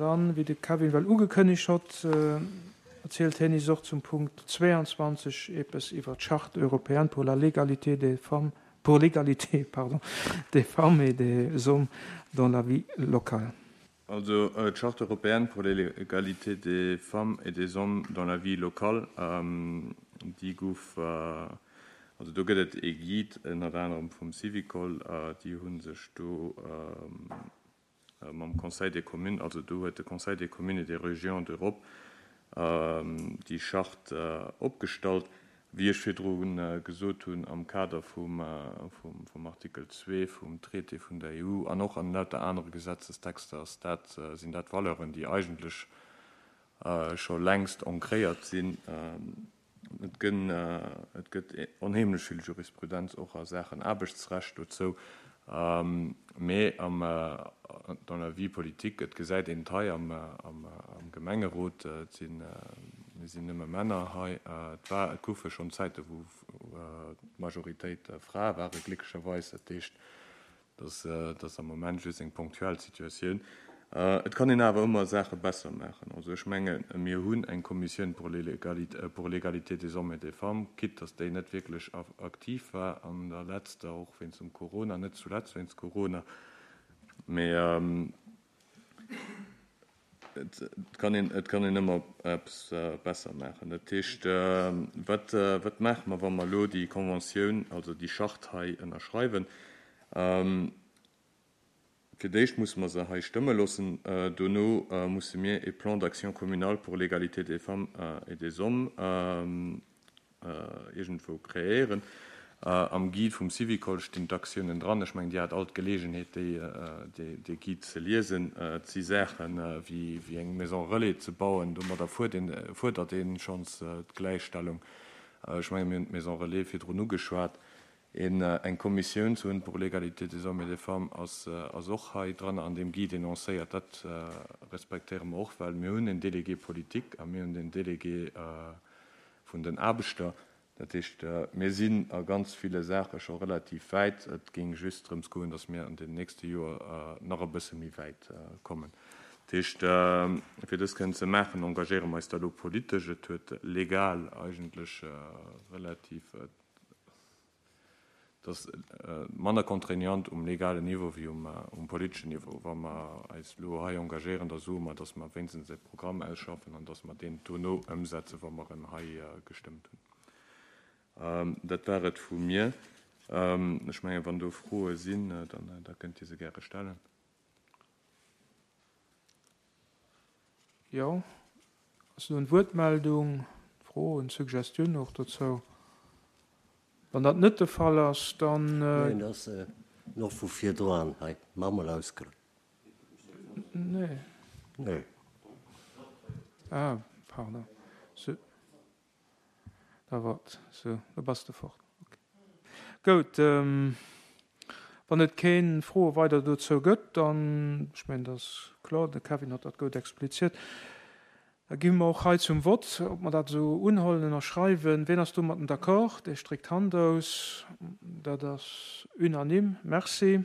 Dann, wéi de Kevin well ugekënnegt hott, erzielt hien is och zum Punkt 22 eepes iwwer d'Charte européenne pour la légalité des femmes, pour l'égalité, pardon, des femmes et des hommes dans la vie locale. Also d'Charte européenne pour l'égalité des femmes et des hommes dans la vie locale, déi gouf, also do gëtt et ee Guide ënnert anerem vum Syvicol, déi hu sech do mam Conseil des communes, also do huet de Conseil des communes et des régions d'Europe déi Charte opgestallt, wéi ech virdru gesot hunn, am Kader vum Artikel 2 vum Traité vun der EU an och an lauter anere Gesetzestexter ass dat, sinn dat Valeuren, déi eigentlech scho längst ancréiert sinn. Et gënn, et gëtt onheemlech vill Jurisprudenz och a Saachen Aarbechtsrecht dozou, mee am, dans la vie politique, et gesäit een et hei am, am Gemengerot, et sinn, mir sinn nëmme Männer hei, et war, et goufe schonn Zäite wou d'Majoritéit Frae ware glécklecherweis, dat heescht, Dat ass am Moment just eng ponktuell Situatioun. Et kann een awer ëmmer Saache besser maachen. Also ech menge mir hunn eng Kommissioun pour l'égalité des hommes et des femmes, quitte datt déi net wierklech aktiv war an der letzter, och wéinst dem Corona, net zuletzt wéinst Corona, mee et kann een, et kann een ëmmer eppes besser maachen. Dat heescht, wat, wat maache mer, wa mer elo déi Conventioun, also déi Charte hei ënnerschreiwen? Fir d'éischt musse mer se hei stëmme loossen. Dono musse mir e Plan d'action communal pour l'égalité des femmes et des hommes iergendwou kreéieren. Am Guide vum Syvicol stinn d'Aktiounen dran. Ech mengen, Dir hat all d'Geleegenheet, déi Guide ze liesen. Et si Saache wéi eng Maison relais ze bauen. Domadder fuerdert ee schonns d'Gläichstellung. Ech mengen, mir hunn d'Maison relais virdrun ugeschwat. Eng Kommissioun ze hunn pour l'égalité des hommes et des femmes ass och hei dran an deem Guide énoncéiert. Dat respektéiere mer och, well mir hunn en Délégué politique a mir hunn den Délégué vun den Aarbechter. Dat heescht, mir sinn a ganz ville Saache scho relativ wäit. Et géing just drëms goen, datt mir an den nächste Joer nach e bësse méi wäit kommen. Dat heescht, fir dës kënnen ze maachen, engagéiere mer eis da elo politesch. Et huet legal eigentlech relativ, Et ass manner contraignant um legalen Niveau wéi um politeschen Niveau. Wa mer eis elo hei engagéieren, da soe mer, datt mer wéinstens e Programm ausschaffen an datt mer deen dono ëmsetzen, wa mer en hei gestëmmt hunn. Dat war et vu mir. Ech mengen, wann do Froe sinn, da kënnt Dir se gäre stellen. Jo, ass do en Wuertmeldung, Fro, en Suggestioun och dozou? Wann dat net de Fall ass, dann. Neen, dat ass nach vu virdroan hei. Mach mol ausgelo. Nee. Nee. Ah, pardon. Sou. Da wart, sou, da bass de fort. Ok. Goud, wann et keen Froe weider dozou gëtt, dann, ech mengen, dat ass kloer, de Kevin huet dat goud expliziert, da gi mer och hei zum Vott, ob mer dat esou unhollen, ënnerschreiwen. Wien ass domatten d'accord? Dee stréckt d'Hand aus. Dat ass unanime. Merci.